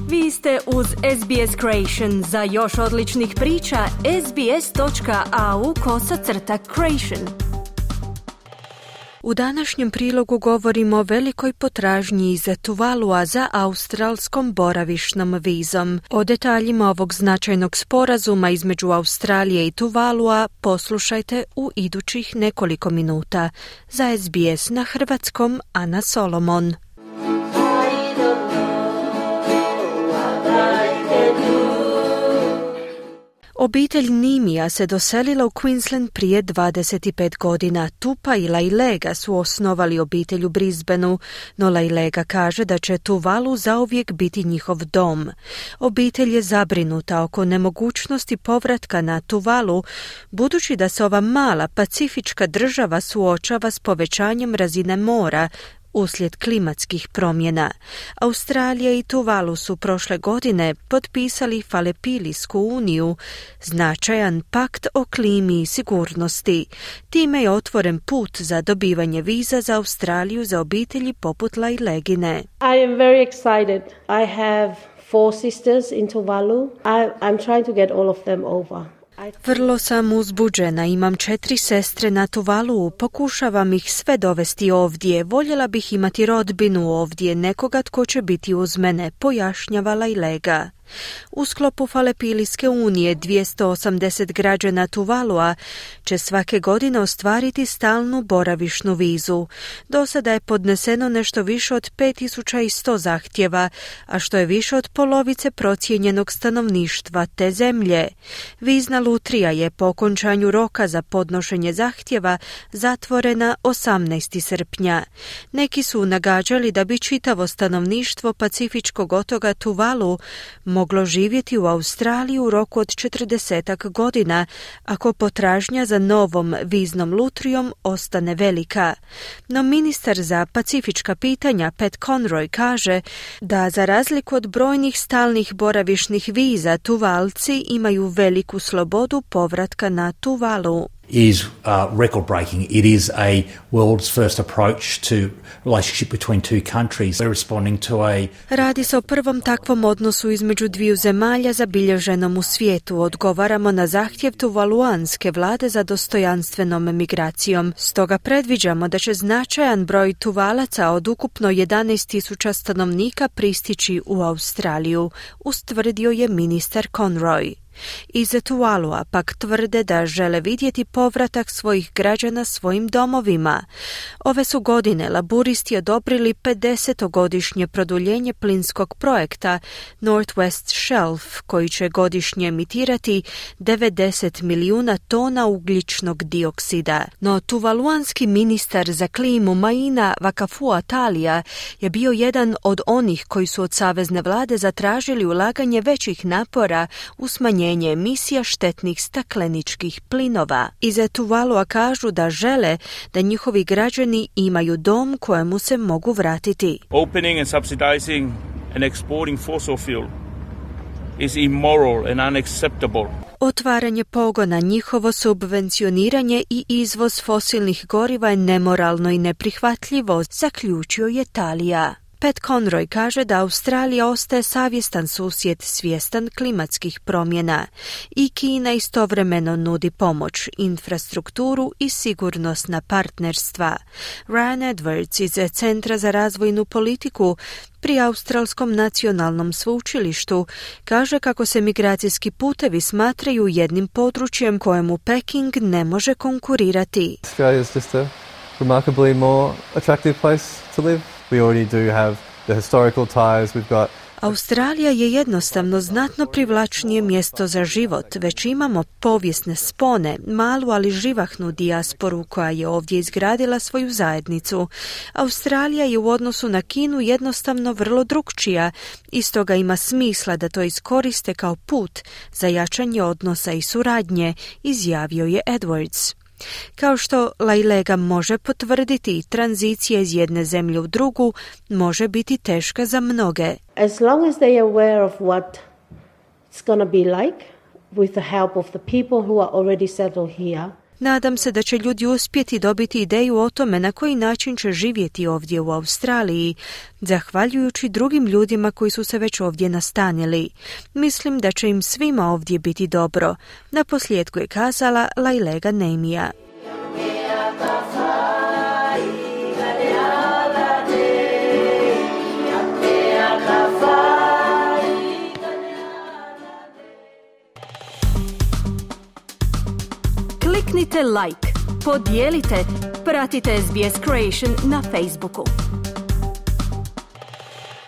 Vi ste uz SBS Creation. Za još odličnih priča, sbs.au/creation. U današnjem prilogu govorimo o velikoj potražnji iz Tuvalua za australskom boravišnom vizom. O detaljima ovog značajnog sporazuma između Australije i Tuvalua poslušajte u idućih nekoliko minuta. Za SBS na hrvatskom Ana Solomon. Obitelj Nimija se doselila u Queensland prije 25 godina. Tupa i Lailega su osnovali obitelj u Brisbaneu, no Lailega kaže da će Tuvalu zauvijek biti njihov dom. Obitelj je zabrinuta oko nemogućnosti povratka na Tuvalu, budući da se ova mala pacifička država suočava s povećanjem razine mora uslijed klimatskih promjena. Australija i Tuvalu su prošle godine potpisali Falepilijsku uniju, značajan pakt o klimi i sigurnosti. Time je otvoren put za dobivanje viza za Australiju za obitelji poput Lailegine. I am very excited. I have 4 sisters in Tuvalu. I'm trying to get all of them over. Vrlo sam uzbuđena, imam 4 sestre na Tuvalu, pokušavam ih sve dovesti ovdje, voljela bih imati rodbinu ovdje, nekoga tko će biti uz mene, pojašnjava Lailega. U sklopu Falepilijske unije 280 građana Tuvalua će svake godine ostvariti stalnu boravišnu vizu. Do sada je podneseno nešto više od 5100 zahtjeva, a što je više od polovice procijenjenog stanovništva te zemlje. Vizna lutrija je po okončanju roka za podnošenje zahtjeva zatvorena 18. srpnja. Neki su nagađali da bi čitavo stanovništvo Pacifičkog otoka Tuvalu moglo živjeti u Australiji u roku od 40 godina ako potražnja za novom viznom lutrijom ostane velika. No ministar za pacifička pitanja Pat Conroy kaže da za razliku od brojnih stalnih boravišnih viza, Tuvalci imaju veliku slobodu povratka na Tuvalu. Is record breaking. It is a world's first approach to relationship between two countries. We're responding to Radi se o prvom takvom odnosu između dviju zemalja zabilježenom u svijetu. Odgovaramo na zahtjev tuvaluanske vlade za dostojanstvenom migracijom. Stoga predviđamo da će značajan broj Tuvalaca od ukupno 11.000 stanovnika pristići u Australiju, ustvrdio je ministar Conroy. Iz Tuvalua pak tvrde da žele vidjeti povratak svojih građana svojim domovima. Ove su godine laburisti odobrili 50-godišnje produljenje plinskog projekta Northwest Shelf, koji će godišnje emitirati 90 milijuna tona ugljičnog dioksida. No tuvaluanski ministar za klimu Maina Vakafua-Talija je bio jedan od onih koji su od savezne vlade zatražili ulaganje većih napora u smanjenje emisija štetnih stakleničkih plinova. Iz Tuvalua kažu da žele da njihovi građani imaju dom kojemu se mogu vratiti. Opening and subsidizing and exporting fossil fuel is immoral and unacceptable. Otvaranje pogona, njihovo subvencioniranje i izvoz fosilnih goriva je nemoralno i neprihvatljivo, zaključio je Talija. Pat Conroy kaže da Australija ostaje savjestan susjed svjestan klimatskih promjena i Kina istovremeno nudi pomoć, infrastrukturu i sigurnosna partnerstva. Ryan Edwards iz Centra za razvojnu politiku pri Australskom nacionalnom sveučilištu kaže kako se migracijski putevi smatraju jednim područjem kojemu Peking ne može konkurirati. Australia is just a remarkably more attractive place to live. We already do have the historical ties. We've got Australija je jednostavno znatno privlačnije mjesto za život, već imamo povijesne spone, malu ali živahnu dijasporu koja je ovdje izgradila svoju zajednicu. Australija je u odnosu na Kinu jednostavno vrlo drukčija i stoga ima smisla da to iskoriste kao put za jačanje odnosa i suradnje, izjavio je Edwards. Kao što Lailega može potvrditi, tranzicija iz jedne zemlje u drugu može biti teška za mnoge. As long as they are aware of what it's going to be like with the help of the people who are already settled here. Nadam se da će ljudi uspjeti dobiti ideju o tome na koji način će živjeti ovdje u Australiji, zahvaljujući drugim ljudima koji su se već ovdje nastanili. Mislim da će im svima ovdje biti dobro. Naposljetku je kazala Lailega Nemija. Kliknite like, podijelite, pratite SBS Creation na Facebooku.